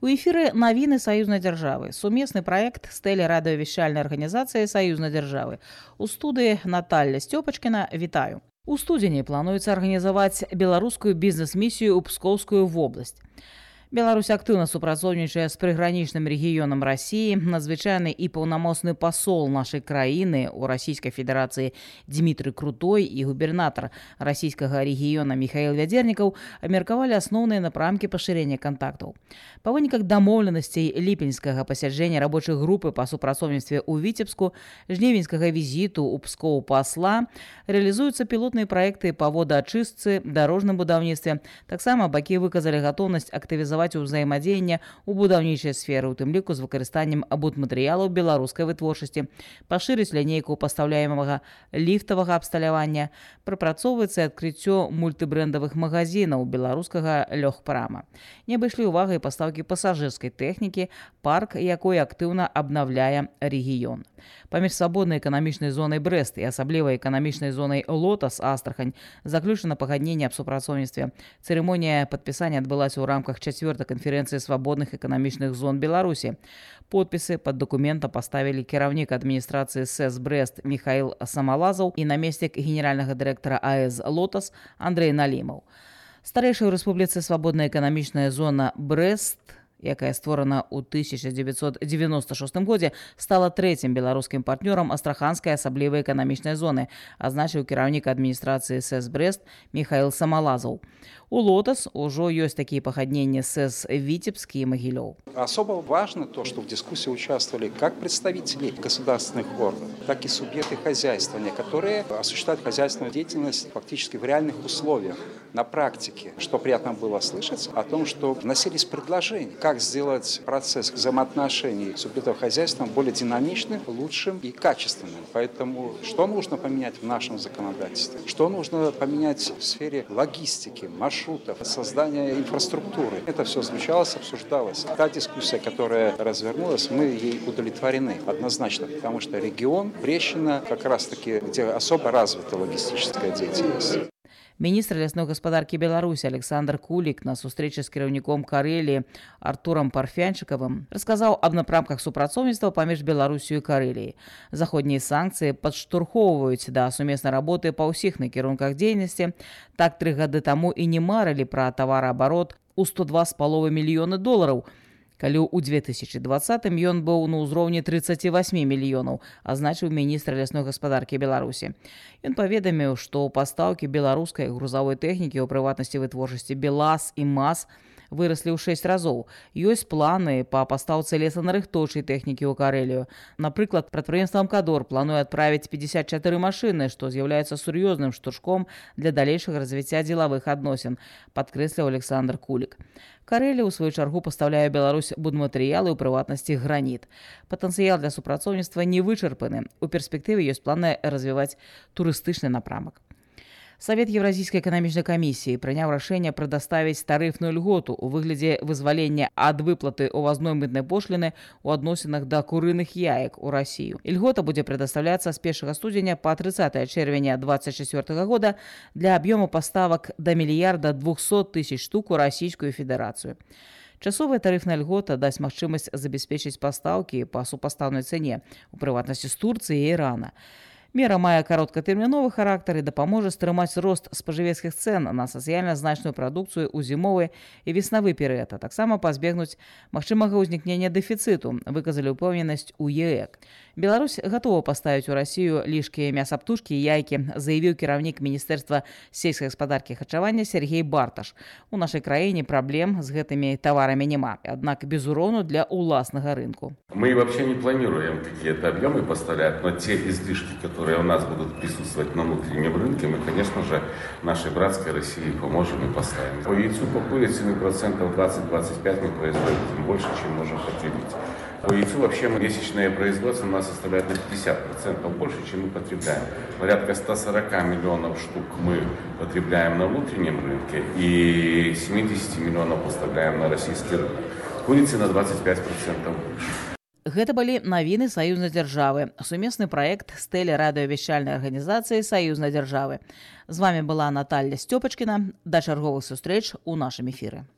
У эфіры навіны саюзнай дзяржавы. Сумесны праект з тэлерадыёвяшчальнай арганізацыі саюзнай дзяржавы. У студыі Наталья Стёпачкіна. Вітаю. У студзені плануецца арганізаваць беларускую бізнес-місію ў Пскоўскую вобласць. Беларусь актыўна супрацоўнічае з прыгранічным рэгіёнам Расіі. Надзвычайны і паўнамоцны пасол нашай краіны ў Расійскай Федэрацыі Дмітрый Крутой і губернатар расійскага рэгіёна Михаил Вядзернікаў абмеркавалі асноўныя напрамкі пашырэння кантактаў. Па выніках дамоўленасцей ліпеньскага пасяджэння рабочай групы па супрацоўніцтве ў Віцебску, жнівеньскага візіту ў Пскоў пасла рэалізуюцца пілотныя праекты па водаачыстцы, дарожным будаўніцтве. Таксама бакі выказалі гатоўнасць актывізаваць узаемадзеянне ў будаўнічай сферы, у тым ліку з выкарыстаннем будматэрыялаў беларускай вытворчасці, пашырыць лінейку пастаўляемага ліфтавага абсталявання, прапрацоўваецца адкрыццё мультыбрэндавых магазінаў беларускага лёгпрама. Не абышлі ўвагай пастаўкі пасажырскай тэхнікі, парк якой актыўна абнаўляе рэгіён. Паміж свабоднай эканамічнай зонай Брэст і асаблівай эканамічнай зонай Лотас Астрахань заключана пагадненне аб супрацоўніцтве. Цырымонія падпісання адбылася ў рамках 4-й канферэнцыі свабодных эканамічных зон Беларусі. Подпісы пад дакументам паставілі кіраўнік адміністрацыі СЭС Брэст Михаил Самалазаў і намеснік генеральнага дырэктара АЭС Лотас Андрей Налімаў. Старэйшая ў рэспубліцы свабодная эканамічная зона Брэст, якая створана ў 1996 годзе, стала трэцім беларускім партнёрам астраханскай асаблівай эканамічнай зоны, азначыў кіраўнік адміністрацыі СЭС Брэст Михаил Самалазаў. У Лотас уже есть такие погоднения СЭС Витебск и Могилев. Особо важно то, что в дискуссии участвовали как представители государственных органов, так и субъекты хозяйствования, которые осуществляют хозяйственную деятельность фактически в реальных условиях, на практике. Что приятно было слышать о том, что вносились предложения, как сделать процесс взаимоотношений субъектов хозяйства более динамичным, лучшим и качественным. Поэтому что нужно поменять в нашем законодательстве? Что нужно поменять в сфере логистики, маршрутов, создания инфраструктуры? Это все звучалось, обсуждалось. Та дискуссия, которая развернулась, мы ей удовлетворены однозначно, потому что регион Брещина как раз-таки, где особо развита логистическая деятельность. Міністр лясной гаспадаркі Беларусі Александр Кулік на сустрэчы з кіраўніком Карэліі Артурам Парфянчыкавым расказаў аб напрамках супрацоўніцтва паміж Беларусю і Карэліяй. Заходнія санкцыі падштурхоўваюць да сумеснай работы па ўсіх накірунках дзейнасці. Так 3 гады таму і не марылі пра тавараабарот у $102,5 мільёны, калі ў 2020-м ён быў на ўзроўні 38 мільёнаў, азначыў міністр лясной гаспадаркі Беларусі. Ён паведаміў, што пастаўкі беларускай грузавой тэхнікі, у прыватнасці вытворчасці БелАЗ і МАЗ, выраслі ў 6 разоў. Ёсць планы па пастаўцы лесанарыхтоўчай тэхнікі ў Карэлію. Напрыклад, прадпрыемства «Амкадор» плануе адправіць 54 машыны, што з'яўляецца сур'ёзным штуршком для далейшага развіцця дзелавых адносін, падкрэсліў Александр Кулік. Карэлія, у сваю чаргу, пастаўляе Беларусь будматэрыялы, у прыватнасці граніт. Патэнцыял для супрацоўніцтва не вычарпаны. У перспектыве ёсць планы развіваць турыстычны напрамак. Савет Еўразійскай эканамічнай камісіі прыняў рашэнне прадаставіць тарыфную льготу ў выглядзе вызвалення ад выплаты увазной мытнай пошліны ў адносінах да курыных яек у Расію. Льгота будзе прадастаўляцца з 1 студзеня па 30 чэрвеня 2024 года для аб'ёму паставак да 1 200 000 000 штук у Расійскую Федэрацыю. Часовая тарыфная льгота дасць магчымасць забяспечыць пастаўкі па супастаўнай цане, у прыватнасці з Турцыі і Ірана. Мера мае кароткатэрміновы характар і дапаможа стрымаць рост спажывецкіх цэн на сацыяльна значную прадукцыю ў зімовы і веснавы перыяд, а таксама пазбегнуць магчымага ўзнікнення дэфіцыту, выказалі ўпэўненасць у ЕЭК. Беларусь гатова паставіць у Расію лішкія мясаптушкі і яйкі, заявіў кіраўнік Міністэрства сельскай гаспадаркі і харчавання Сергей Барташ. У нашай краіне праблем з гэтымі таварамі няма, аднак без урону для уласнага рынку. Мы вообще не планируем какие-то объемы поставлять, но те излишки, которые у нас будут присутствовать на внутреннем рынке, мы, конечно же, нашей братской России поможем и поставим. По яйцу, по курице мы процентов 20-25 мы производим больше, чем можем потребить. По яйцу вообще месячное производство у нас составляет на 50% больше, чем мы потребляем. Порядка 140 миллионов штук мы потребляем на внутреннем рынке и 70 миллионов поставляем на российский рынок. Курицы на 25% больше. Гэта былі навіны саюзнай дзяржавы, сумесны праект з тэлерадыёвяшчальнай арганізацыі саюзнай дзяржавы. З вами была Наталья Стёпачкіна. Да чарговых сустрэч у нашым эфіры.